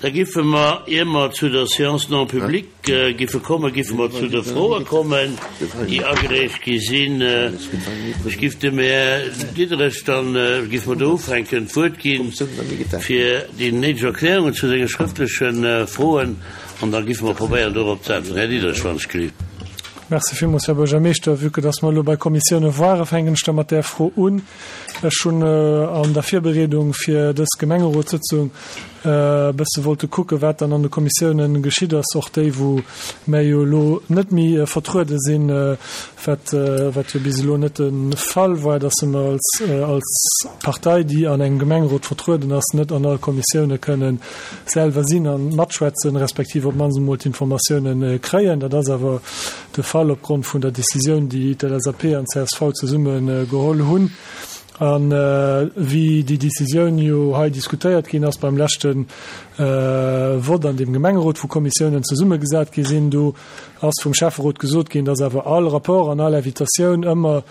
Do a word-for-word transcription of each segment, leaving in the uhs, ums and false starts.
Da giffe mer, ier mer zu der Séance non publique giffe kommen, giffe mer zu de Froe kommen, déi agereecht gi sinn. Ech giff dem Här Diderich dann, giffe mer do ufänken, d'Wuert ginn, fir déi néideg Erklärungen zu senge schrëftleche Froen, an da giffe mer probéieren, dorop ze äntweren. Här Diderich, wann ech gelift. Merci villmools, Här Buergermeeschter. Vue que dass mer elo bei Kommissioune waren, fänken ech da mat där Fro un. Ech hunn an der Virbereedung fir dës Gemengerotssëtzung e bësse wollte kucken, wat dann an de Kommissiounen geschitt ass, och déi, wou mär jo elo net méi vertruede sinn, wat, wat jo bis elo net de Fall war, dass mer als, als Partei, déi an engem Gemengerot vertrueden ass, net an all Kommissioune kënnen selwer sinn a matschwätzen, respektiv op d'mannst emol d'Informatiounen kréien. Dat ass awer de Fall opgrond vun der Decisioun, déi d'L S A P an d'C S V zesumme geholl hunn. A wéi déi Decisioun jo hei diskutéiert ginn ass beim leschte Vott an deem Gemengerot, wou Kommissiounen zesummegesat gi sinn, do ass vum Schäfferot gesot ginn, dass awer all Rapport an all Invitatioun ëmmer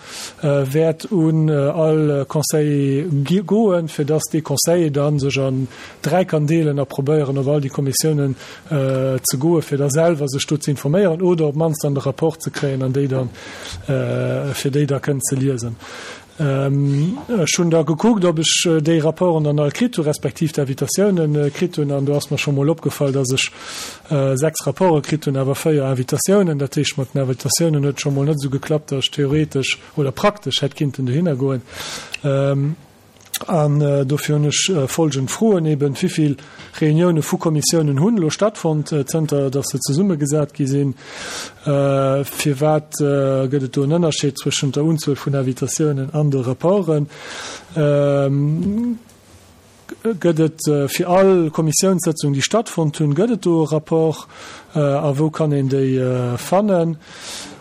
wäert un all Conseiller goen, fir dass dee Conseiller da sech an dräi kann deelen a probéieren, op all déi Kommissiounen ze goen, fir da selwer sech do ze informéieren oder op d'mannst dann de Rapport ze kréien an déi dann, fir déi da kënnen ze liesen. Ech hunn da gekuckt, ob ech déi Rapporten dann all kritt hu respektiv d'Invitatiounen kritt hunn, an do ass mer scho mol opgefall, dass ech sechs Rapporte kritt hunn, awer véier Invitatiounen. Dat heescht, mat den Invitatiounen huet et scho mol net esou geklappt, dass ech theoretesch oder praktesch hätt kinnten dohinner goen. An dofir hunn ech folgend Froen eben, Wéi vill Reunioune vu Kommissiounen hunn elo stattfonnt, zënter datt se zesummegesat gi sinn? Firwat gëtt et do en Ënnerscheed zwëschent der Unzuel vun Invitatiounen an de Rapporten? Gëtt et fir all Kommissiounssëtzung, déi stattfonnt hunn, gëtt et do e Rapport a wou kann een déi fannen?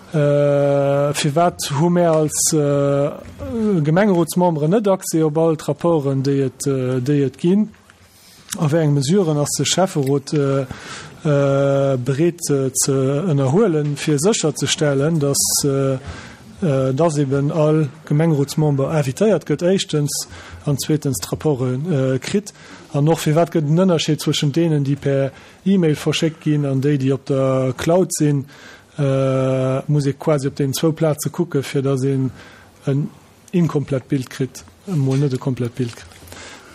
Firwat hu mär als Gemengerotsmemberen net Accès op all d'Rapporten, déi et, déi et ginn? A wéi eng Mesuren ass de Schäfferot bereet ze ënnerhuelen, fir sécherzestellen, dass, dass eben all Gemengerotsmember invitéiert gëtt éischtens an zweetens d'Rapporte kritt? An och firwat gëtt en Ënnerscheed zwëschent deenen, déi per E-Mail verschéckt ginn an déi, déi op der Cloud sinn? Muss ee quasi op deenen zwou Plaze kucken, fir datt een en inkomplett Bild kritt, emol net e komplett Bild kritt.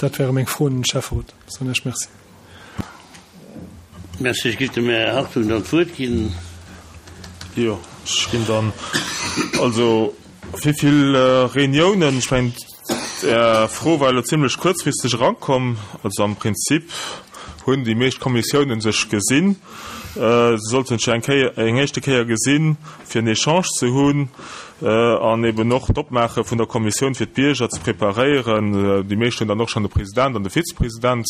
Dat wäre meng Froen un den Schäfferot. Soen ech Merci. Merci. Ech géif dem Här Hartung dann d'Wuert ginn. Jo, ech ginn dann. Also, wéi vill Reuniounen, ech mengen, Är Fro war elo zimlech kuerzfristeg erankomm. Also am Prinzip hunn déi meescht Kommissiounen sech gesinn. Se sollten sech eng Kéier, eng éischte Kéier gesinn, fir en Echange ze hunn an eben och d'Opmaache vun der Kommissioun fir d'Bierger ze preparéieren. Déi meescht hunn dann och schonn de President an de Vizepresident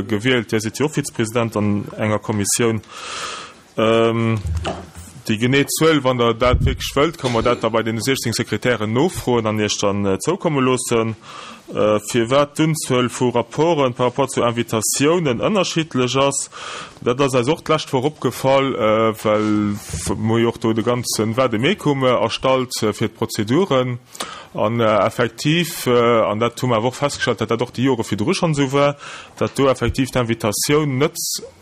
gewielt. Dir sidd jo och Vizepresident an enger Kommissioun. Déi genee Zuel, wann Der dat wierklech wëllt, ka mer dat da bei deene siechzéng Sekretären nofroen an Iech dann zoukomme loossen. Firwat d'Unzuel vu Rapporten par rapport zu Invitatiounen ënnerschiddlech ass, dat ass eis och d'lescht Woch opgefall, well mer hu jo och do de ganze Vademecum erstallt fir d'Prozeduren. An effektiv, an dat hu mer awer och festgestallt, datt dat och déi Jore virdru schonn esou war, datt do effektiv d'Invitatioun net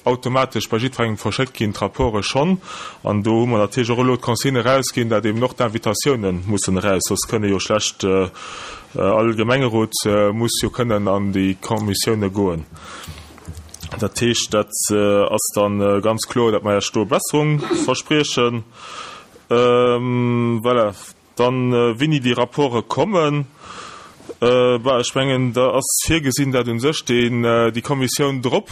automatesch bei jiddwerengem verschéckt ginn, d'Rapporte schonn. An do hu mer natierlech och elo d'Consigne erausginn, datt eben och d'Invitatiounen mussen eraus, soss kënne jo schlecht, all Gemengerot muss jo kënnen an déi Kommissioune goen. Dat heescht, dat ass da ganz kloer, datt mer Iech do e Besserung verspriechen. Voilà. Dann, wéini déi Rapporte kommen, bah, ech mengen, da ass virgesinn, dat u sech deen, déi Kommissioun drop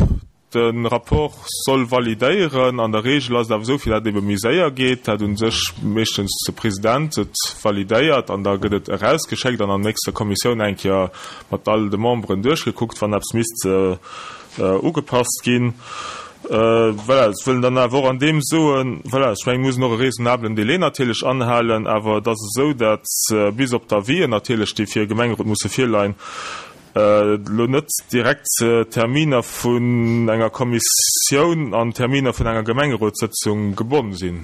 de Rapport soll validéieren. An der Regel ass et awer esou, fir dat ebe méi séier geet, dat u sech meeschtens de President et validéiert an da gëtt et erausgeschéckt an an der nächster Kommissioun eng Kéier mat all de Memberen duerchgekuckt, wann eppes misst ugepasst ginn. Voilà, ech wëll dann awer och an deem soen, voilà, ech mengen, mir mussen och e raisonnablen Délai natierlech anhalen, awer et ass esou, dat bis op d'Avisen natierlech, déi fir e Gemengerot musse virleien, elo net direkt Terminer vun enger Kommissioun an Terminer vun enger Gemengerotssëtzung gebonn sinn.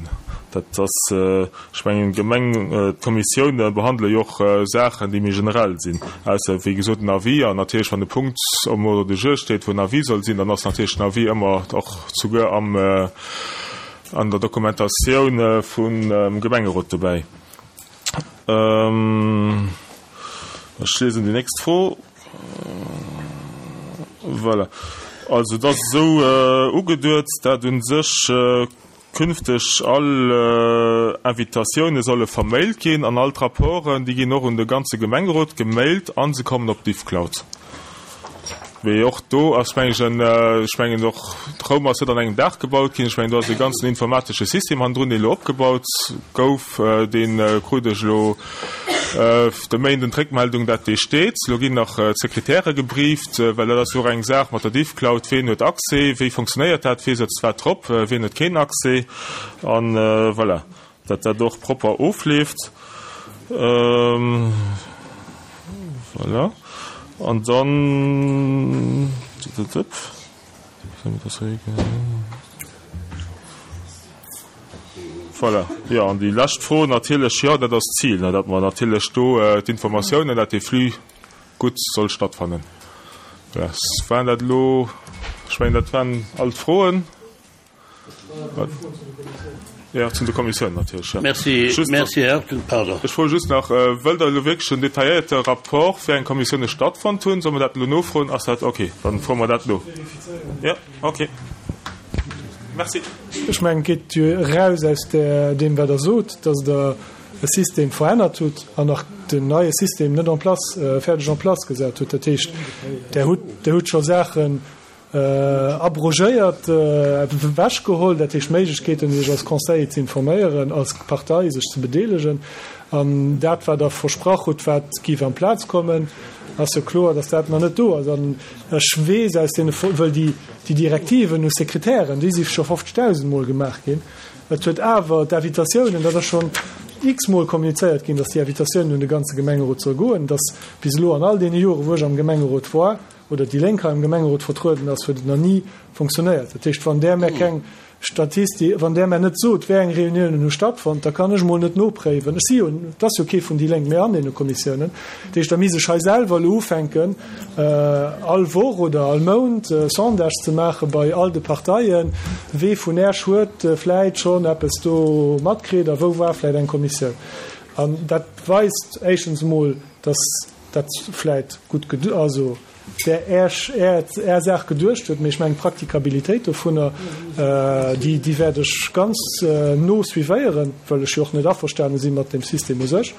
Dat ass, ech mengen, d'Gemeng, d'Kommissioune behandele jo och Saachen, déi méi generell sinn, ausser, wéi gesot, en Avis. An natierlech, wann e Punkt um Ordre du jour steet, wou en Avis soll sinn, dann ass natierlech den Avis ëmmer och souguer am, an der Dokumentatioun vum Gemengerot dobäi. Ech liesen déi nächst Fro. Voilà. Also et ass esou ugeduet, dat u sech künfteg all Invitatioune solle vermailt ginn an all d'Rapporten, déi ginn och un de ganze Gemengerot gemailt a se kommen op d'Difcloud. Mee och do ass, meng ech, en, ech mengen och Roum ass net an engem Dag gebaut ginn. Ech mengen, do ass e ganzen informatesche System hannendrun, deen elo opgebaut gouf. Dee krut ech elo de Méinden d'Réckmeldung, dat dee steet. Elo ginn nach d'Sekretäre gebrieft, well dat ass jo och eng Saach mat der Diffcloud, Ween huet Accès, wéi fonctionnéiert dat, wee sëtzt wat drop, ween huet keen Accès an voilà, dat dat och propper ofleeft. Voilà. An dann, voilà, jo, an déi lescht Fro natierlech, jo, dat ass d'Zil, datt mer natierlech do d'Informatiounen, datt dee Flux gutt soll stattfannen. Voilà, waren dat elo, ech mengen, dat waren all d'Froen. Jo, zu de Kommissiounen natierlech, jo. Merci, Just, merci, Här Hurtel. Pardon. Ech froe just nach, Wëllt Der elo wierklech en detailléierte Rapport, wéi eng Kommissioune stattfonnt hunn? Solle mer dat elo nofroen? Ass dat okay? Dann froe mer dat no. Jo, okay. Merci. Ech mengen, et geet jo eraus aus deem, wat Der sot, dass Der e System verännert hutt an nach den neie System net en place, fäerdeg en place gesat hutt. Dat heescht, Der hutt, Der hutt scho Saachen abrogéiert, ewechgeholl, dat heescht Méiglechkeeten, sech als Conseiller ze informéieren, als Partei sech ze bedeelegen. An dat, wat Der versprach hutt, wat géif amplaz kommen, ass jo kloer, dass dat nach net do ass. An ech weess aus deene, wëll déi Direktiven u Sekretären, déi si scho fofzegdausend Mol gemaach ginn, et huet awer d'Invitatiounen, dat ass schonn x-mol kommunizéiert ginn, dass déi Invitatiounen un de ganze Gemengerot soll goen, dass bis elo an all deene Jore wou ech am Gemengerot war, oder déi Lénk hei am Gemengerot vertrueden ass, huet et nach ni funktionéiert. Dat heescht, wann Der mär keng Statisti-, wann Der mär net sot, wéi eng Reuniounen hu stattfonnt, da kann ech emol net nopréiwen. Ech si jo, et ass jo kee vun déi Lénk méi an deene Kommissiounen. Dat heescht, da misst ech hei selwer elo ufänken, all Woch oder all Mount Sondage ze maache bei all de Parteien, wee vun Äech huet vläit schonn eppes do matkritt a wou war vläit eng Kommissioun. An dat weist éischtens emol, dass dat vläit gutt, also där Är, Är Saach geduecht huet, mee ech mengen d'Praktikabilitéit dovunner, déi, déi wäert ech ganz no suivéieren, well ech jo och net averstane si mat deem System u sech.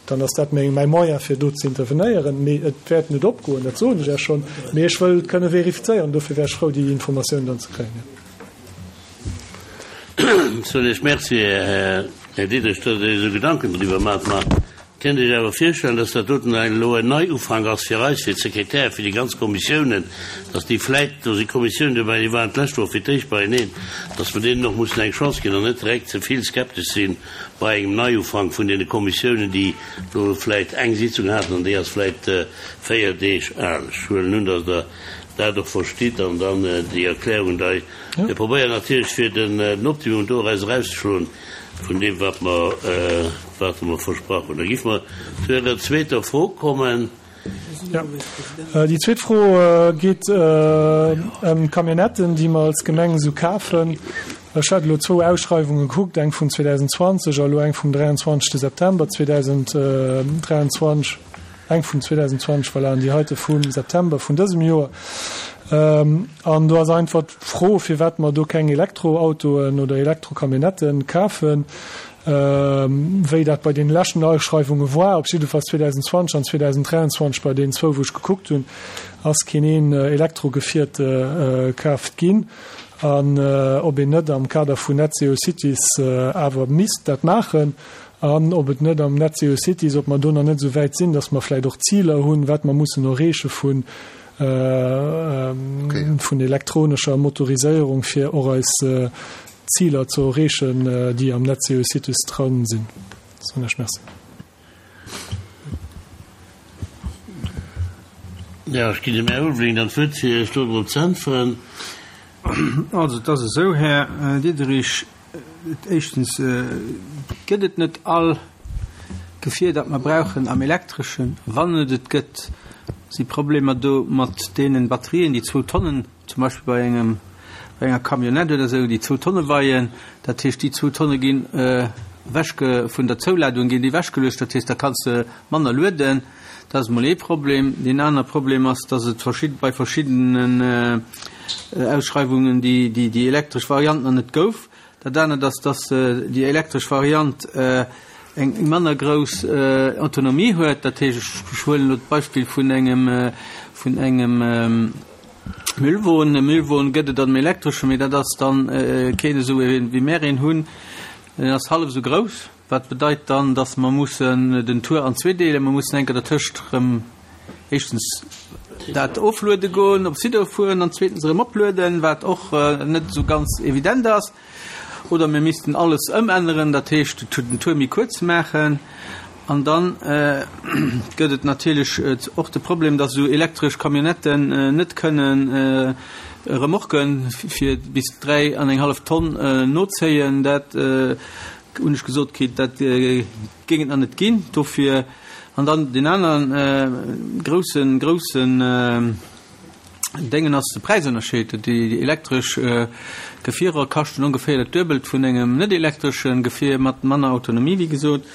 Dann ass dat meng, mäi Moyen fir do ze intervenéieren, mee et wäert net opgoen, dat soen ech Iech schonn, mee ech wëll et kënne verifizéieren, dofir wär ech frou déi Informatioun dann ze kréien. Soen Iech Merci, Här Diderich, datt Der Iech esou Gedanken driwwer maacht. Ma Kënnt Iech awer virstellen, dass dat doten elo en Neiufank ass fir eis, fir d'Sekretäre, fir déi ganz Kommissiounen, dass déi vläit, do si Kommissiounen dobäi, déi waren d'lescht Woch fir d'éischt beieneen, dass mer deenen och mussen eng Chance ginn an net direkt ze vill skeptesch si bei engem Neiufank vun deene Kommissiounen, déi elo vläit eng Sitzung haten an déi ass vläit véier Deeg al. Ech huelen un, dass Der dat och verstitt an dann déi Erklärung dei. Mir probéieren natierlech fir den Optimum doraus erauszeschloen. Vun deem, wat mer, wat mer versprach hunn. Da géife mer zu Ärer zweeter Fro kommen. Jo, déi zweet Fro geet ëm d'Camionnetten, déi mer als Gemeng esou kafen. Ech hat elo zwou Ausschreiwunge gekuckt, eng vun zweedausendzwanzeg a elo eng vum dräianzwanzegste September zweedausenddräianzwanzeg. Eng vun zweedausendzwanzeg, voilà, an déi heite vum September vun dësem Joer. An do ass einfach d'Fro, firwat mer do keng Elektroautoen oder Elektrocamionnetten kafen, wéi dat bei deene leschten Ausschreiwunge war. Op jiddefalls zweedausendzwanzeg an zweedausenddräianzwanzeg, bei deenen zwou, wou ech gekuckt hunn, ass keen een Elektrogefier kaaft ginn. An ob een net am Kader vun Net Zero Cities awer misst dat maachen. An ob et net am Net Zero Cities, ob mer do nach net esou wäit sinn, dass mer vläicht och Ziler hunn, wat mer mussen erreeche vun vun elektronescher Motoriséierung, fir och eis Ziler ze erreechen, déi am Net Zero Cities dran sinn. Soen ech Merci. Jo, ech ginn dem Här Ulveling dann d'Wuert, fir Iech do drop ze äntweren. Also, et ass esou, Här Diderich, éischtens gëtt et net all Gefier, dat mer brauchen am Elektreschen. Wann et et gëtt, si Problemer do mat deenen Batterien, déi zwou Tonnen, zum Beispill bei engem, bei enger Camionnette oder esou, déi zwou Tonne weien. Dat heescht, déi zwou Tonne ginn ewechge, vun der Zouladung ginn déi ewechgeluecht. Dat heescht, da kanns de manner lueden. Dat ass emol ee Problem. Deen aner Problem ass, dass et verschid, bei verschiddenen Ausschreiwungen déi, déi, déi elektresch Variant nach net gouf. Dat anert ass, dass déi elektresch Variant eng manner grouss Autonomie huet. Dat heescht, ech huelen elo d'Beispill vun engem, vun engem Müllwon. E Müllwon gëtt et an dem elektreschen, mee dat ass dann keen esou ee wéi mär een hunn. En ass hallef esou grouss, wat bedeit dann, dass mer mussen den Tour an zwee deelen. Mer mussen eng Kéier dertëscht erëm éischtens dat ofluede goen, op Sidor fueren an zweetens erëm oplueden, wat och net esou ganz evident ass. Oder mir missten alles ëmänneren, dat heescht den Tour méi kuerz maachen. An dann gëtt et natierlech och de Problem, dass esou elektresch Camionnetten net kënnen Remorquen fir bis dräi an eng hallef Tonn nozéien. Dat hunn ech gesot kritt, dat géing et nach net ginn. Dofir, an dann deen anere groussen, groussen Déngen ass de Präisënnerscheed. Déi elektresch Gefierer kaschten ongeféier dat Duebelt vun engem net elektresche Gefier mat manner Autonomie, wéi gesot.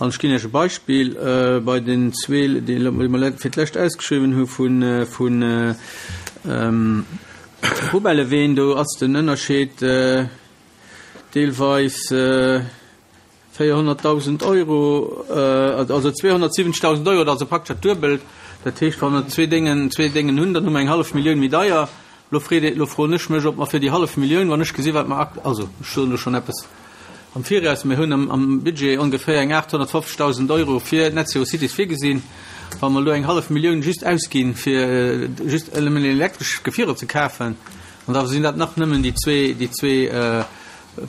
An ech ginn Iech e Beispill, Bei den zwee, déi mer fir d'lescht ausgeschriwwen hu vu Poubelleween, do ass den Ënnerscheed deelweis véierhonnertdausend Euro, also zweehonnertsiwwenzegdausend Euro, dat ass also praktesch dat Duebelt. Dat heescht, wa mer zwee Déngen, zwee Déngen hunn, dann hu mer eng hallef Millioun méi deier. Lo freet ee, lo froen ech mech, ob mer fir déi hallef Millioun, wann ech gesi wat mer akt, also ech soen elo schonn eppes am Viraus, mir hunn am, am Budget ongeféier eng aathonnertfofzegdausend Euro fir Net Zero Cities virgesinn, wa mer elo eng hallef Millioun just ausginn, fir just nëmmen elektresch Gefierer ze kafen, an da sinn dat nach nëmmen déi zwee, déi zwee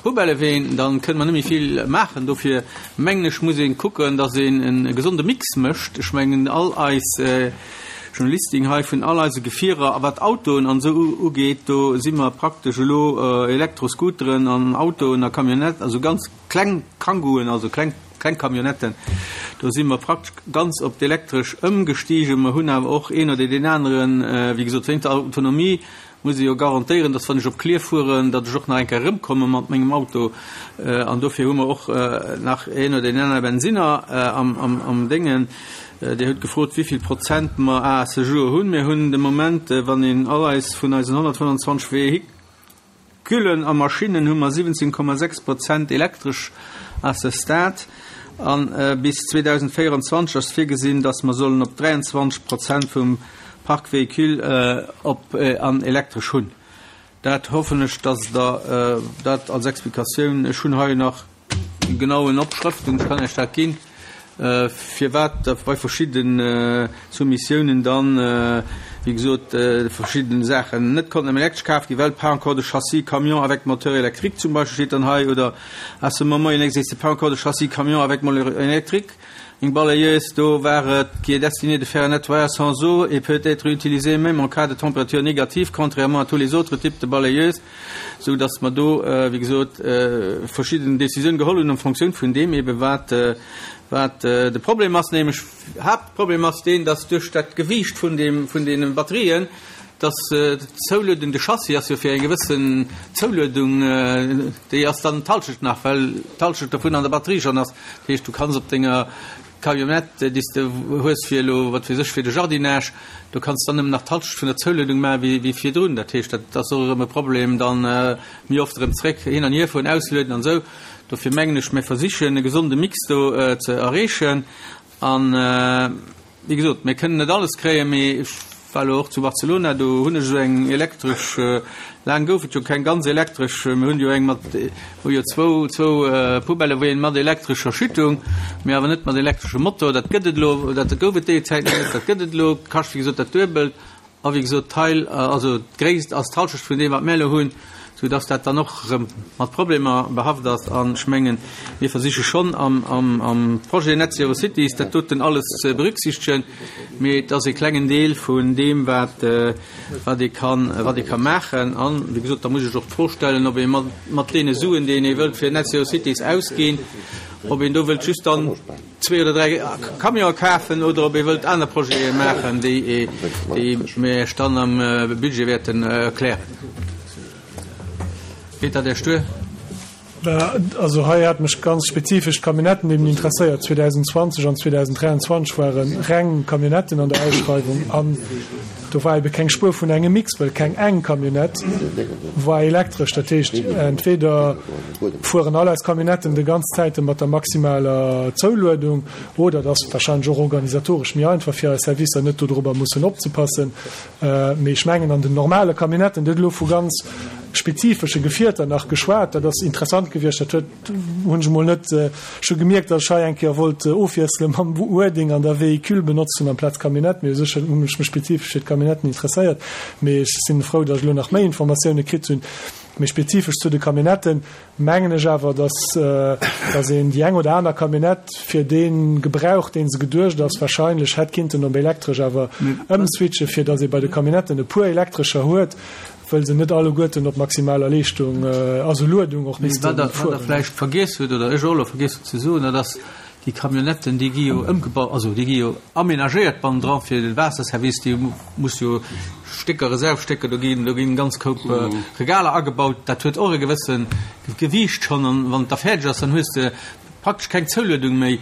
Poubelleween, dann kënne mer net méi vill maachen. Dofir mengen ech, muss ee kucken, datt een e gesonde Mix mécht. Ech mengen, all eis Listing hei vun all eise Gefierer, a wat Autoen an esou ugeet, do si mer praktesch elo Elektroscooteren an Autoen a Camionnetten, also ganz kleng Kangooen, also kleng, kleng Camionnetten, do si mer praktesch ganz op d'Elektresch ëmgestigen. Mer hunn awer och een oder deen aneren, wéi gesot, wéinst der Autonomie muss ee jo garantéieren, dass wann ech op Klierf fueren, datt ech och nach eng Kéier erëmkomme mat mengem Auto. An dofir hu mer och nach een oder deen anere Bensinner am Déngen. Dir hutt gefrot, wéi vill Prozent mer à ce jour hunn. Mir hunn de Moment, wann een all eis vun eisen honnertfënnwandzwanzeg Vehiculen a Maschinnen, hu mer siwwenzéng Komma sechs Prozent elektresch à ce stade. A bis zweedausendvéierundzwanzeg ass virgesinn, dass mer sollen op dräiandzwanzeg Prozent vum Parc véhicule op an elektresch hunn. Dat hoffen ech, dass Der dat als Explikatioun, ech hunn hei nach genauen Opschrëften, ech kann Iech dat ginn, firwat bei verschidde Soumissiounen dann, wéi gesot, verschidde Saachen net konnten am Elektresch kaf ginn, well pas encore de châssis camion avec moteur électrique zum Beispill steet dann hei, oder à ce moment il n'existe pas encore de châssis camion avec moteur électrique. Eng Balayeuse, do war et, qui est destinée de faire un nettoyage sans eau et peut être utilisée même en cas de température négative, contrairement à tous les autres types de balayeuses, sou dass mer do, wéi gesot, verschidden Décisioune geholl hunn en Fonctioun vun deem ebe wat, wat de Problem ass. Nämlech, Haaptproblem ass deen, dass duerch dat Gewiicht vun deem, vun deene Batterien, dass d'Zouluedung, de Chassis ass jo fir eng gewëssen Zouluedung, déi ass dann d'Halschent nach, well d'Halschent dovun an der Batterie schonn ass. Dat heescht, du kanns op denger Camionnette, déi s de hues fir elo, wat weess ech, fir de Jardinage, do kanns de dann nëmmen nach d'Halschent vun der Zouluedung maachen, wéi, wéi virdrun. Dat heescht, dat ass och erëm e Problem, dann méi oft erëm zréck hin an hier fueren, auslueden an esou. Dofir mengen ech, mir versichen e gesonde Mix do ze erreechen. An, wéi gesot, mir kënnen net alles kréien, mee ech war elo och zu Barcelona, do hunn ech esou eng elektresch, laang gouf et jo keng ganz elektresch, mir hunn jo eng mat, hu jo zwou, zwou Poubelleween mat elektrescher Schüttung, mee awer net mat elektreschem Motor. Dat gëtt et elo, dat gouf et déi Zäit nach net, dat gëtt et elo, kascht wéi gesot dat Duebelt a wéi gesot d'Teil, also d'Gréisst ass d'Halschecht vun deem wat mir elo hunn, soudass dat dann och erëm mat Problemer behaft ass. An ech mengen, mir versiche schonn am, am, am Projet Net Zero Cities dat doten alles ze berücksichtegen, mee et ass e klengen Deel vun deem, wat, wat ee kann, wat ee ka maachen. An, wéi gesot, da muss ech och d'Fro stellen, ob ee mat, mat deene Suen, déi een wëllt fir Net Zero Cities ausginn, ob een do wëllt just dann zwee oder dräi Camionen kafen oder ob ee wëllt aner Projete maachen, déi, déi mir Iech dann am Budget wäerten erklären. Geet dat Iech duer? Also hei hat mech ganz spezifesch d'Camionnetten eben interesséiert. zweedausendzwanzeg an zweedausenddräianzwanzeg ware reng Camionnetten an der Ausschreiwung an do war ebe keng Spuer vun engem Mix, well keng eng Camionnette war elektresch. Dat heescht, entweder fueren all eis Camionnetten de ganz Zäite mat der maximaler Zouluedung oder et ass wahrscheinlech och organisatoresch méi einfach fir eis Servicer, net dodrobber mussen opzepassen. Mee ech mengen an den normale Camionnetten, Dir hutt elo vu ganz spezifesche Gefierter nach geschwat, dat ass interessant gewiescht, dat huet, hunn ech emol net, ech hu gemierkt, datt ech hei eng Kéier wollt ofwiessele mam Wording an der Véhicule benotzen amplaz Camionnette, mee u sech hunn ech mech spezifesch fir d'Camionnetten interesséiert, mee ech sinn frou, datt ech elo nach méi Informatioune kritt hunn. Méi spezifesch zu de Camionnetten mengen ech awer, datt datt een déi eng oder aner Camionnette fir dee Gebrauch, dee se geduecht ass, wahrscheinlech hätt kinnten op elektresch awer ëmswitchen, fir datt ee bei de Camionnetten e puer elektrescher huet, wëll se net alleguerten op maximaler Leeschtung, also Luedung och misste fueren. Wat Der vläicht vergiess hutt, oder ech och elo vergiess hunn ze soen, dat ass, Déi Camionnetten, déi gi jo ëmgebaut, also déi gi jo aménagéiert bannendran fir de Waasserservice, déi muss jo Stécker, Reservstécker, do ginn, do ginn ganz Koup Regaler agebaut. Dat huet och e gewësse Gewiicht schonn. An wann et da fäerdeg ass, dann hues de praktesch keng Zouluedung méi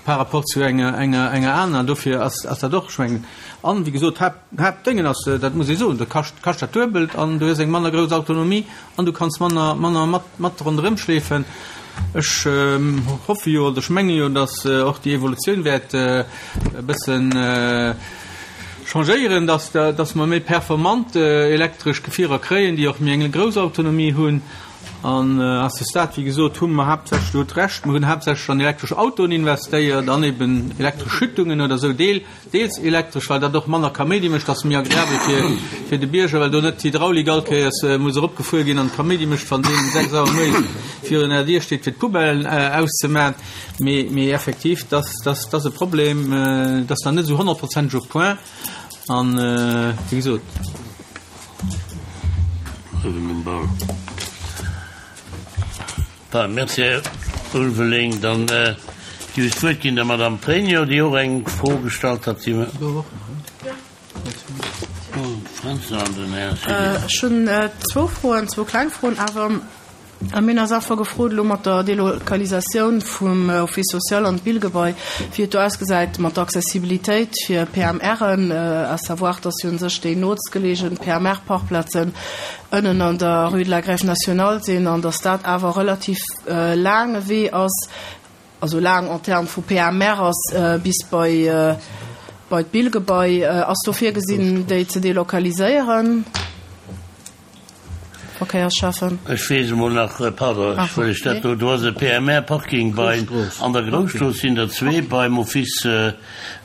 par rapport zu enger, enger, enger aner. Dofir ass, ass dat och, ech mengen, an wéi gesot, Haapt, Haaptdéngen ass, dat muss ee soen, dat kascht, kascht dat Duebelt an du hues eng manner grouss Autonomie an du kanns manner, manner mat, mat ronderëm schleefen. Ech hoffe jo, oder ech menge jo, datt och déi Evolutioun wäert e bëssen changéieren, datt, datt mer méi performant elektresch Gefierer kréien, déi och méi eng grouss Autonomie hunn. An à ce stade, wéi gesot, hu mer haaptsächlech, Dir hutt Recht, mer hunn haaptsächlech an elektresch Autoen investéiert an eben elektresch Schüttungen oder esou, deel, deels elektresch, well dat och manner Kaméidi mécht, ass méi agreabel fir, fir de Bierger, well do net d'Hydraulik all Kéiers muss eropgefuer ginn an Kaméidi mécht, wann deen um sechs Auer moies virun der Dier steet, fir d'Poubellen auszemaachen. Mee, mee effektiv, dass, dass, dass e Problem, dass nach net esou honnertprozenteg au point an, wéi gesot. Merci, Här Ulveling. Dann géif ech d'Wuert ginn der Madame Pregno, déi och eng Fro gestallt hat. Ech hunn zwou Froen, zwou kleng Froen awer. Mir hunn eis einfach gefrot, elo mat der Delokalisatioun vum Office social an d'Billgebai, wéi et do ausgesäit mat der Accessibilitéit fir P M R'en, à savoir, dass jo u sech déi nootstgeleegen P M R-Parkplazen ënnen an der Rue de la Grève nationale sinn an dass dat awer relativ laange Wee ass, also laang en termes vu P M R ass, bis bei bei d'Billgebai. Ass do virgesinn, déi ze delokaliséieren, Verkéiersschäffen? Ech weess emol nach, pardon, ech wëll ech dat do, do ass e P M R-Parking bei, an der Grousstrooss sinn der zwee, beim Office,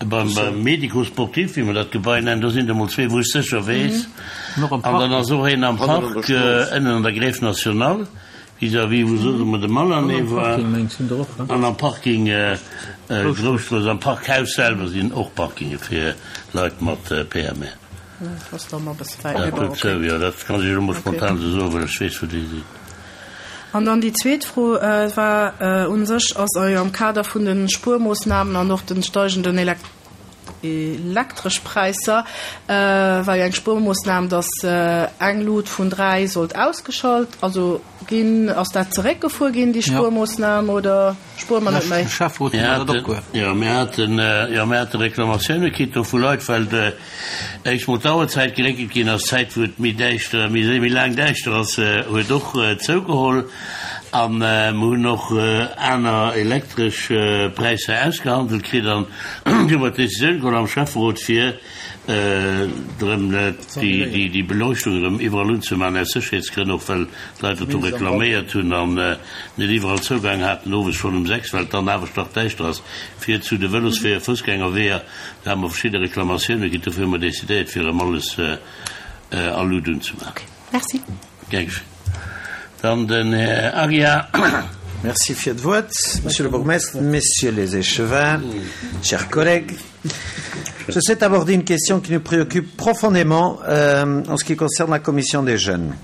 beim Médico-sportif, wéi mer dat Gebai nennen, do sinn der emol zwee, wou ech sécher weess. An dann ass och een am Park ënnen an der Grève nationale, vis-à-vis wou soss ëmmer de Malané war. An am Parking Grousstrooss, am Parkhaus selwer sinn och Parkinge fir Leit mat P M R. Dat dozou, jo, dat kann ech elo mol spontan esou soen, well ech weess, wou déi sinn. An dann déi zweet Fro war u sech, ass jo am Kader vun de Spuermoossnamen an och de steigenden Elektreschpräisser, war jo eng Spuermoossnam, datt eng Lut vun dräi sollt ausgeschalt, also ginn. Ass dat zeréckgefuer ginn, déi Spuermoossnam, oder spuere mer net méi? Jo, mir haten, jo, mir hate Reklamatioune kritt do vu Leit, well éischt mol d'Auerzäit geréckelt ginn ass, d'Zäit wou et méi däischter, méi méi laang däischter ass, huet och zougeholl. A mer hunn och aner elektresch Präisser ausgehandelt kritt an du hu mer d'Decisioun geholl am Schäfferot, fir erëm déi Beleuchtung erëm iwwerall unzemaachen, aus Sécherheetsgrënn och, well d'Leit dat do reklaméiert hunn an net iwwerall Zougang haten owes schonn um sechs, well et dann awer stark däischter ass, fir zu de Vëlosweeër, Foussgängerweeër. Do hate mer verschidde Reklamatioune kritt, dofir hu mer decidéiert, fir erëm alles a Lut unzemaachen. Merci. Gär geschénn. Dann den Här Aguiar. Merci fir d'Wuert, Monsieur le Bourgmestre, Messieurs les échevins, chers collègues. Je souhaite aborder une question qui nous préoccupe profondément euh, en ce qui concerne la commission des jeunes.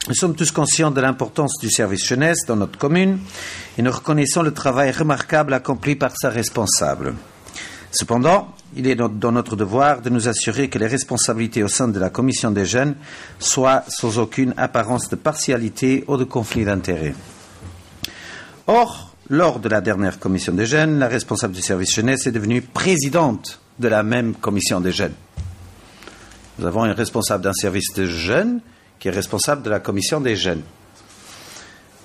Nous sommes tous conscients de l'importance du service jeunesse dans notre commune et nous reconnaissons le travail remarquable accompli par sa responsable. Cependant, il est dans notre devoir de nous assurer que les responsabilités au sein de la commission des jeunes soient sans aucune apparence de partialité ou de conflit d'intérêts. Or, lors de la dernière commission des jeunes, la responsable du service jeunesse est devenue présidente de la même commission des jeunes. Nous avons une responsable d'un service de jeunes qui est responsable de la commission des jeunes.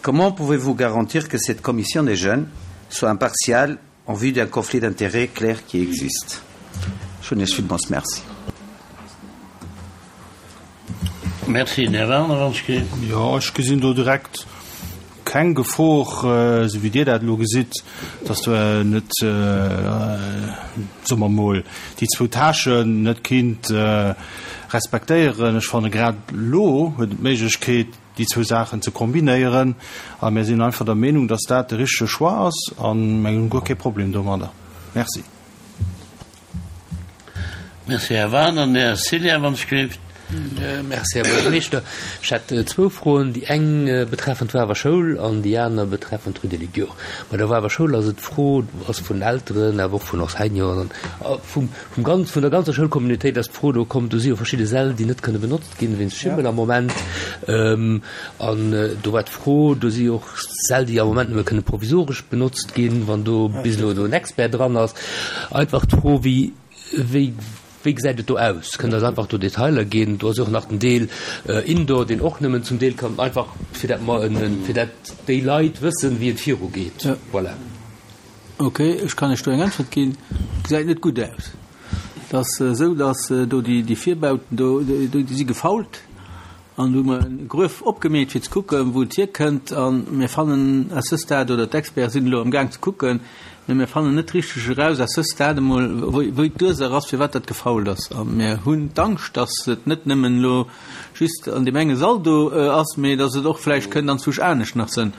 Comment pouvez-vous garantir que cette commission des jeunes soit impartiale en vue d'un conflit d'intérêts clair qui existe? Ech hunn Iech villmools Merci. Merci. Den Här Werner, wann ech ge. Jo, ech gesinn do direkt keng Gefor, esou wéi Dir dat elo gesitt, dass do net, soe mer emol, déi zwou Tâchen net kinnt respektéieren. Ech fanne grad elo huet en d'Méiglechkeet, déi zwou Saachen ze kombinéieren a mir sinn einfach der Meenung, dass dat de richtege Choix ass a mir hunn guer kee Problem domadder. Merci. Merci, Här Werner. Den Här Cillien, wann ech gelift. Merci, Här Buergermeeschter. Ech hätt zwou Froen, déi eng betreffend d'Wawer Schoul an déi aner betreffend d'Rue des Ligures. Bei der Wawer Schoul ass et d'Fro, ass vun Elteren, awer och vun Enseignanten a vum, vum ganz, vun der ganzer Schoulcommunautéit ass d'Fro do komm, do si jo verschidde Säll, déi net kënne benotzt ginn wéinst Schimmel am Moment. An do war d'Fro, do si och Säll, déi am Moment nëmme kënne provisoresch benotzt ginn, wann do bis elo do en Expert dran ass. Einfach d'Fro, wéi, wéi, Wéi gesäit et do aus? Kënnt Der eis einfach do Detailer ginn? Do ass jo och nach den Deel Indoor, deen och nëmmen zum Deel kann, einfach fir dat mer en, fir dat déi Leit wëssen, wéi et virugeet. Voilà. Ok, ech kann Iech do eng Äntwert ginn. Gesäit net gutt aus. Et ass esou, datt do déi Virbauten do, déi si gefault. An do hu mer e Gruef opgemeet, fir ze kucken, wou et hierkënnt. A mir fannen à ce stade, oder d'Experten sinn elo amgaang ze kucken, mä mir fannen net richteg eraus à ce stade emol, wou d'Ursaach ass, firwat dat gefault ass. A mir hunn d'Angscht, dass et net nëmmen elo just an deem enge Sall do ass, mä dass et och vläicht kënnt anzwousch anescht nach sënn.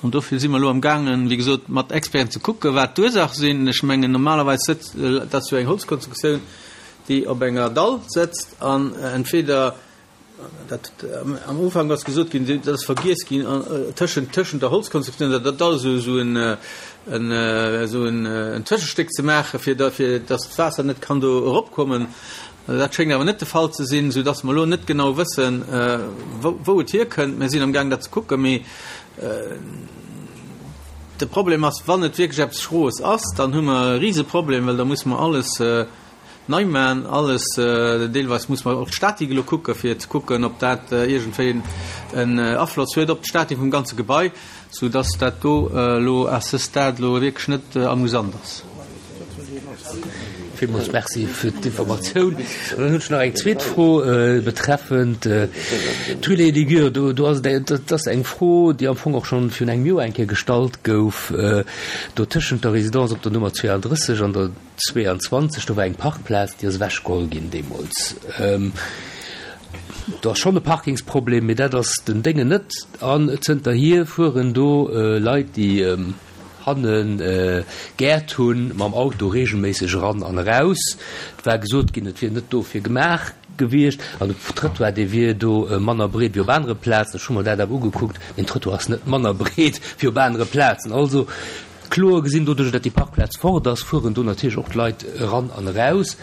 An dofir si mer elo amgaangen, wéi gesot, mat Experten ze kucken, wat d'Ursaach sinn. Ech mengen, normalerweis sëtzt, dat ass jo eng Holzkonstruktioun, déi op enger Dall sëtzt an entweder, Dat, am Ufank ass gesot ginn, dat ass vergiess ginn, tëschent, tëschent der Holzkonstruktioun an der Dall esou, esou en, en, esou en, en Tëschestéck ze maachen, fir da, fir datt d'Waasser net kann do eropkommen. Dat schéngt awer net de Fall ze sinn, soudatt mer elo net genau wëssen, wou, wou et hierkënnt. Mir sinn amgaang dat ze kucken, mee de Problem ass, wann et wierklech eppes Schroes ass, dann hu mer e Riseproblem, well da musse mer alles, Nei man alles, deelweis muss mer och d'Statik elo kucken, fir ze kucken, ob dat iergendwéi en Afloss huet op d'Statik vum ganze Gebai, sou dass dat do elo à ce stade elo wierklech net amusant ass. Villmools Merci fir d'Informatioun. An dann hunn ech nach eng zweet Fro betreffend d'Rue des Ligures. Do, do ass et, dat ass eng Fro, déi am Fong och schonn virun engem Joer eng Kéier gestallt gouf, do tëschent der Résidence op der Nummer zweeandrësseg an der zweeanzwanzeg, do war eng Parkplaz, déi ass ewechgeholl ginn deemools. Do ass schonn e Parkingsproblem, mee dat ass den Déngen net. An zënterhier fueren do Leit, déi hanne Gäert hunn, mam Auto reegelméisseg eran an eraus. Et war gesot ginn, et wier net dofir gemaach gewiescht an de Trëttoir, dee wier do manner breet wéi op anere Plazen. Ech hu mer dat awer ugekuckt, den Trëttoir ass net manner breet wéi op anere Plazen. Also Kloer gesinn, doduerch datt déi Parkplaz fort ass, fueren do natierlech och d'Leit eran an eraus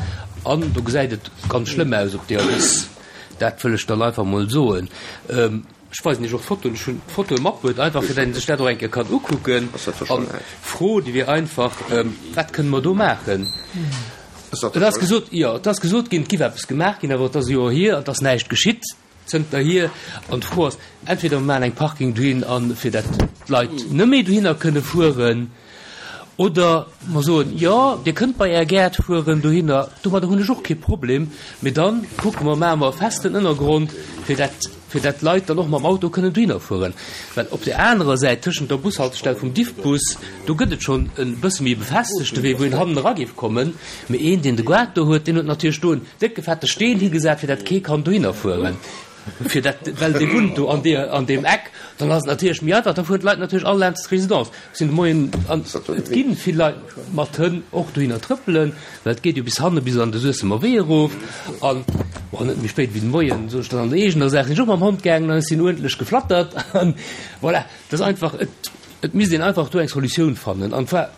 an do gesäit et ganz schlëmm aus op deeër Wiss. Dat wëll ech dann einfach emol soen. Ech weisen Iech och d'Fotoen, ech hunn d'Fotoe matbruet, einfach fir datt een sech dat och eng Kéier kann ukucken. An d'Fro, déi wier einfach, Wat kënne mer do maachen? Et ass gesot, jo, et ass gesot ginn, et giff eppes gemaach ginn, awer et ass e Joer hier an et ass näischt geschitt. Zënterhier, an d'Fro ass, entweder mer maachen eng Parking dohin an, fir dat d'Leit net méi dohinner kënne fueren, oder mer soen, jo, Dir kënnt bei Är Gäert fueren dohinner, domadder hunn ech och kee Problem, mee da kucke mer, maache mer e festen Ënnergrond, fir dat, fir dat d'Leit dann och mam Auto kënnen dohinner fueren. Well op där anerer Säit, tëschent der Bushaltestell vum Diffbus, do gëtt et schonn e bësse méi e befestegte Wee, wou een hannen era géif kommen, mee een, deen de Gaart do huet, deen huet natierlech do en décke fette Steen higesat, fir dat kee kann dohinner fueren. Fir dat, well dee wunnt do an deer, an deem Eck, dann ass et natierlech méi einfach, da fueren d'Leit natierlech all laanscht d'Résidence. Ech sinn de Moien, an et gi vill Leit mat Hënn och dohinner trëppelen, well et geet jo bis hanne bis an de Suessemer Wee erof. An, bon, net méi spéit wéi de Moien, sot ech dann an der eegener Saach, sinn ech och mam Hond gaangen an ech sinn uerdentlech geflattert. An voilà, dat ass einfach, et, et misst een einfach do eng Solutioun fannen. An zwar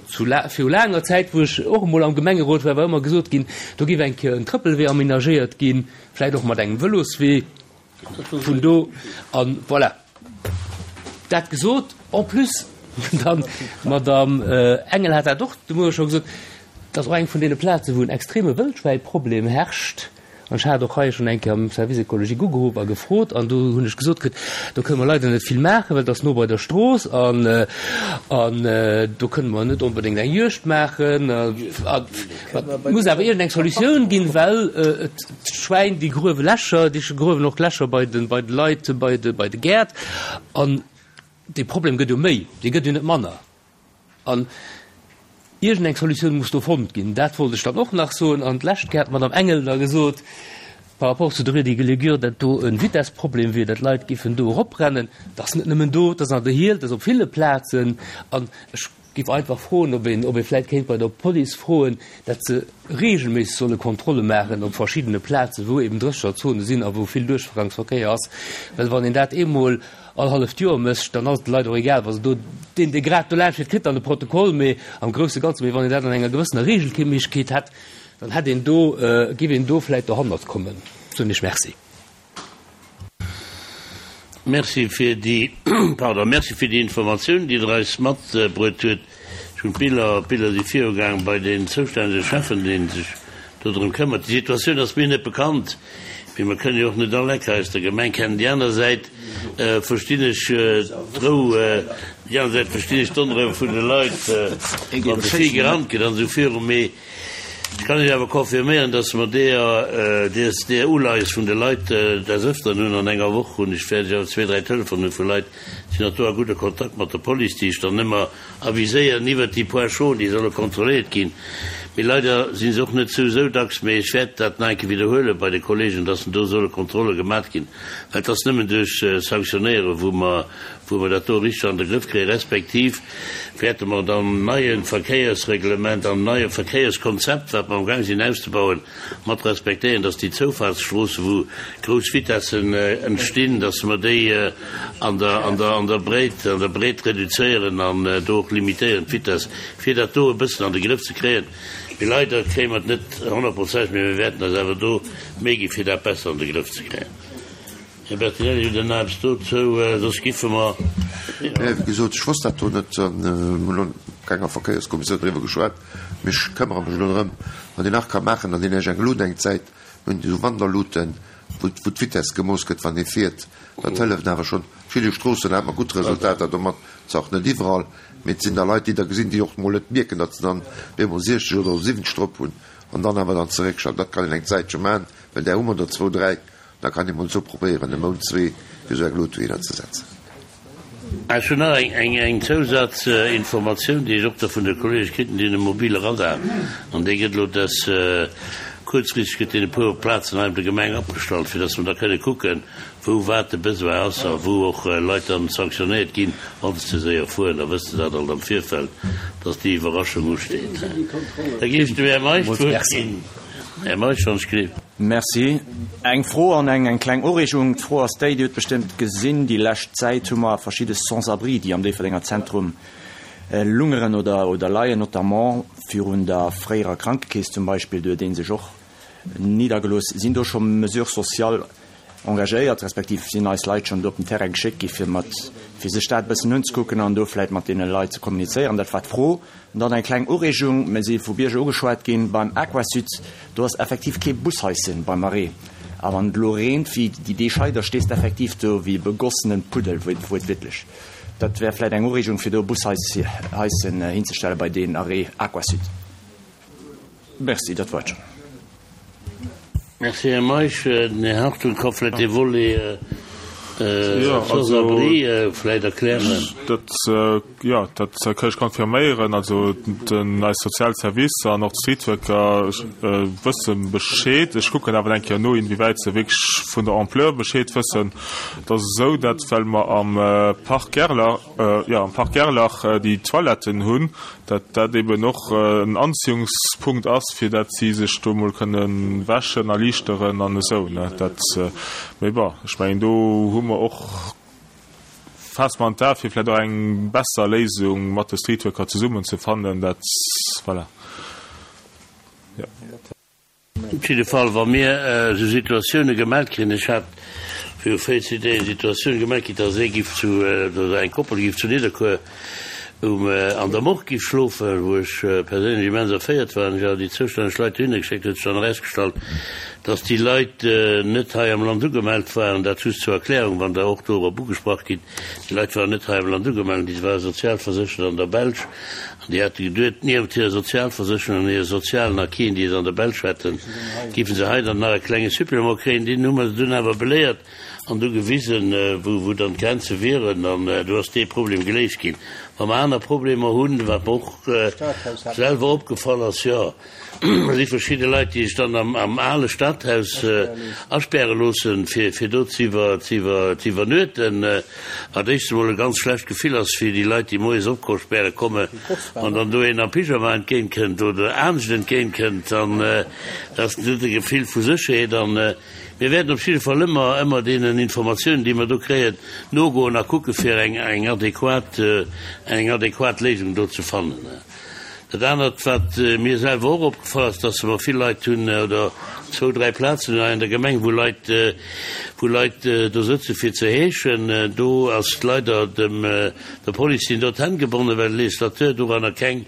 zu la, viru laanger Zäit, wou ech och emol am Gemengerot war, war ëmmer gesot ginn, do géif eng Kéier en Trëppelwee aménagéiert ginn, vläicht och mat engem Vëloswee vun do. An voilà, dat gesot. En plus, dann, d'Madame Engel hat dat och de Muere scho gesot, dat ass och eng vun deene Plazen, wou en extreme Wëldschwäiproblem herrscht. An ech hat och hei schonn eng Kéier am Service écologique ugeruff a gefrot, an do hunn ech gesot kritt, do kënne mer leider net vill maachen, well et ass no bei der Strooss an an do kënne mer net onbedéngt eng Juegd maachen. A et muss awer iergendeng Solutioun ginn, well et d'Schwäin, déi gruewe Lächer, déi gruewen och Lächer bei de bei de Leit, bei de bei de Gäert. An dee Problem gëtt jo méi, dee gëtt jo net manner. An iergend eng Solutioun muss do fonnt ginn. Dat wollt ech dann och nach soen. An d'lescht Kéier hat d'Madame Engel da gesot, par rapport zu der Rue des Guélégueurs, datt do e Vitessproblem wier, datt d'Leit géifen do eroprennen. Dat ass net nëmmen do, dat ass an der Hiel, dat ass op ville Plazen. An ech géif einfach froen, ob een, ob ee vläicht kéint bei der Police froen, datt se regelméisseg solle Kontrolle maachen op verschiddene Plazen, wou eben Drécherzonen sinn a wou vill Duerchgangsverkéier ass. Well wann een dat eemol all halleft Joer mécht, dann ass et de Leit och egal, wa se do, deen, dee grad do laanscht fiert, kritt dann de Protokoll, mee am grousse Ganze, mee wann een dat an enger gewëssener Regelméissegkeet hätt, dann hätt een do, géif een do vläicht dohannert kommen. Soen ech Merci. Merci fir déi, pardon, merci fir déi Informatioun, déi Der eis matbruet huet. Ech hunn d'Biller, d'Biller si virugaang bei den zoustännege Schäffen, dee sech do drëm këmmert. Déi Situatioun ass mir net bekannt, mee mer kënnen jo och net all Ecker aus der Gemeng kennen. Déi aner Säit verstinn ech d'Rou, déi aner Säit verstinn ech d'Onrou vun de Leit, wann ze vill gerannt gëtt an esou viru. Mee ech kann Iech awer confirméieren, dass mer deeër, dees, deeër Uleies vun de Leit des Öfteren hunn. An enger Woch hunn ech, wäert ech awer zwee, dräi Telefonen hu vu Leit, sinn och do a gudder Kontakt mat der Police, déi ech dann ëmmer aviséieren iwwert déi Points chauds, déi solle kontrolléiert ginn. Mee leider si se och net sou sou dacks. Mee ech wäert dat nach eng Kéier widderhuele bei de Kollegen, dass do solle Kontrolle gemat ginn, well et ass nëmmen duerch Sanktionéiere wou mer, wou mer dat do richteg an de Grëff kréien, respektiv wäerte mer et am neie Verkéiersreglement, am neie Verkéierskonzept, wat mer amgaang sinn auszebauen, mat respektéieren, dass déi Zoufahrtsstroosse wou grouss Vitessen entstinn, dass mer déi an der, an der, an der Breet, an der Breet reduzéieren an do och limitéieren d'Vitesse, fir dat do e bëssen an de Grëff ze kréien. Mee leider kréie mer et net honnertprozenteg, mee mir wäerten eis awer do Méi gi fir dat besser an de Grëff ze kréien. Här Bertinelli, hutt Der nach eppes dozou? Soss giffe mer. Nee, wéi gesot, ech wosst dat do net. Mir hunn elo an kenger Verkéierskommissioun driwwer geschwat, mee ech këmmere mech elo drëm. Wat een nach ka maachen, an deen ech eng Lut eng Zäit, mir hunn esou Wanderluten, wou d'Vitess gemooss gëtt, wann ee fiert. Dat hëlleft awer schonn. Verschidde Stroossen hate mer gutt Resultater domat, zwar och net iwwerall, mee et sinn da Leit, déi da gesinn, déi och mol net mierken, datt se dann op eemol siechzeg oder siwwenzeg drop hunn an dann awer dann zeréckschalten. Dat kann een eng Zäitche maachen, well där hu mer der zwou, dräi. Da kann ee mol esou probéieren, e Mount, zwee, fir esou eng Lut dohinner ze setzen. Ech hunn nach eng Zousazinformatioun, déi ech och da vun de Kollege kritt hunn, déi hunn e mobile Radar an dee gëtt elo des kuerzfristeg gëtt deen e puer Plazen hei op der Gemeng opgestallt, fir dass mer da kënne kucken, wou wat de Besoin ass a wou och Leit dann sanktionéiert ginn, wa se ze séier fueren. Da wësst Der dat alt am Virfeld, dass déi Iwwerraschung usteet. Da géif ech dem Här Meisch d'Wuert ginn. Här Meisch, wann ech gleef. Merci. Eng Fro an eng eng kleng Ureegung. D'Fro ass déi, Dir hutt bestëmmt gesinn, déi lescht Zäit hu mer verschidde Sans-abri, déi am Déifferdenger Zentrum lungeren oder oder leien, notamment virun der fréierer Krankekeess zum Beispill, do huet ee sech och niddergelooss. Sinn do scho Mesures sociales engagéiert, respektiv sinn eis Leit schonn do op den Terrain geschéckt gi fir mat, fir sech dat e bëssen unzekucken an do vläicht mat deene Leit ze kommunizéieren? Dat war d'Fro. An dann eng kleng Ureegung, Mir si vu Bierger ugeschwat ginn, beim Aquasud, do ass effektiv kee Bushaischen beim Arrêt. A wann et elo reent wéi déi Deeg hei, da stees de effektiv do wéi e begossenen Puddel, wuertwiertlech. Dat wär vläicht eng Ureegung, fir do e Bushaischen hinzestelle bei deen Arrêt Aquasud. Merci, dat war et schonn. Merci, Här Meisch. Den Här Hartung ka vläicht dee Volet Sans-abri vläicht erklären. Dat, jo, dat kann ech confirméieren. Also den, eis sozial Servicer an och d'Streetworker wësse Bescheed. Ech kucken awer eng Kéier no, inwiewäit se wierklech vun der Ampleur Bescheed wëssen. Et ass esou, dat well mer am Parc Gerlach, jo, am Parc Gerlach déi Toiletten hunn, dat dat eben och en Anziehungspunkt ass, fir dat si sech do mol kënne wäschen a liichteren an esou, ne. Dat, mee bon, ech mengen, do hu mer och faasse mer an d'A fir vläicht och eng besser Léisung mat de Streetworker zesummen ze fannen. Dat, voilà, jo. Op jidde Fall, wa mir esou Situatioune gemellt kréien, ech hat viru véierzéng Deeg eng Situatioun gemellt kritt, dass ee giff zu, oder eng Koppel giff zu Nidderkuer um, an der Morgue giff schlofen, wou ech perséinlech immens erféiert war an ech awer déi zoustänneg Leit dohinner geschéckt hunn, huet sech dann erausgestallt, dass déi Leit net hei am Land ugemellt waren. Dat just zur Erklärung, wann Der och dorop ugesprach gitt. Déi Leit waren net hei am Land ugemellt, déi ware sozialverséchert an der Belsch an déi hate geduet, niewent hirer Sozialversécherung an hire sozialen Acquisen, déi se an der Belsch hätten, géife se hei dann nach e klenge Supplément kréien. Deen hu mer se dunn awer beléiert an du gewisen, wou dann d'Grenze wieren an do ass dee Problem geléist ginn. Wa mer aner Problemer hunn, wat mer och selwer opgefall ass, jo, si verschidde Leit, déi sech dann am ale Stadhaus aspäre loossen, fir do ze iwwernuechten, wat éischtens emol e ganz schlecht Gefill ass fir déi Leit, déi moies opspäre kommen, wann dann do een am Pyjama entgéintkënnt oder anescht entgéintkënnt, dann ass net e Gefill vu Sécherheet. An mir wäerten op jidde Fall ëmmer, ëmmer deenen Informatiounen, déi mer do kréien, nogoen a kucke fir eng adequat, eng adequat Léisung do ze fannen. Dat anert, wat mir selwer och opgefall ass, dass mer vill Leit hunn, oder zwou, dräi Plazen hunn hei an der Gemeng, wou Leit, wou Leit do sëtze fir ze heeschen. Do ass leider dem, der Police sinn do d'Hänn gebonnen, well de Législateur doranner keng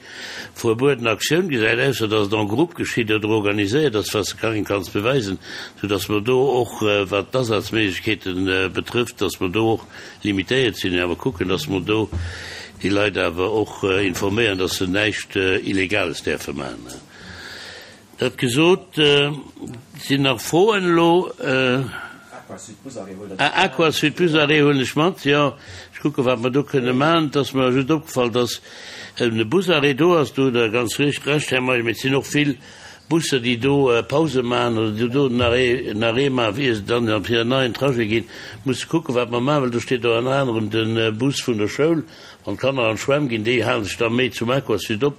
verbueden Aktioun gesäit, ausser dass et en groupe geschitt oder organiséiert ass, wat s de kengem kanns beweisen, soudass mer do och, wat d'Asazméiglechkeete betrëfft, dass mer do och limitéiert sinn, awer kucken, dass mer do déi Leit awer och informéieren, dass se näischt Illegales däerfe maachen. Dat gesot, sinn nach Froen elo? Ah, Aquasud Busarrêt huelen ech mat, jo. Ech kucken, wat mer do kënne maachen. Et ass mer just opgefall, dass e Busarrêt do ass. Do hutt Der ganz Recht, Här Meisch. Mee et sinn och vill Busser, déi do Pause maachen oder déi do en Arrêt, en Arrêt maachen, ier se dann op hiren neien Trajet ginn. Musse kucken, wat mer maachen, well do steet och ënner anerem de Bus vun der Schoul. Wann d'Kanner an d'Schwämm ginn, déi hale sech da méi zum Aquasud op.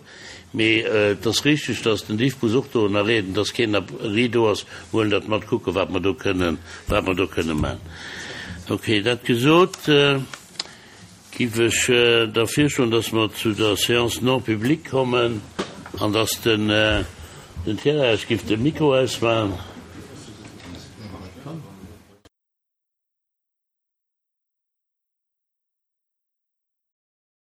Mee et ass richteg, dass den Diffbus och do en Arrêt, dass keen Arrêt do ass. Mir huelen dat mat, kucken, wat mer do kënnen, wat mer do kënne maachen. Okay, dat gesot, Giff ech da virschloen, dass mer zu der Séance non publique kommen an dass den Thierry eis giff de Mikro ausmaachen.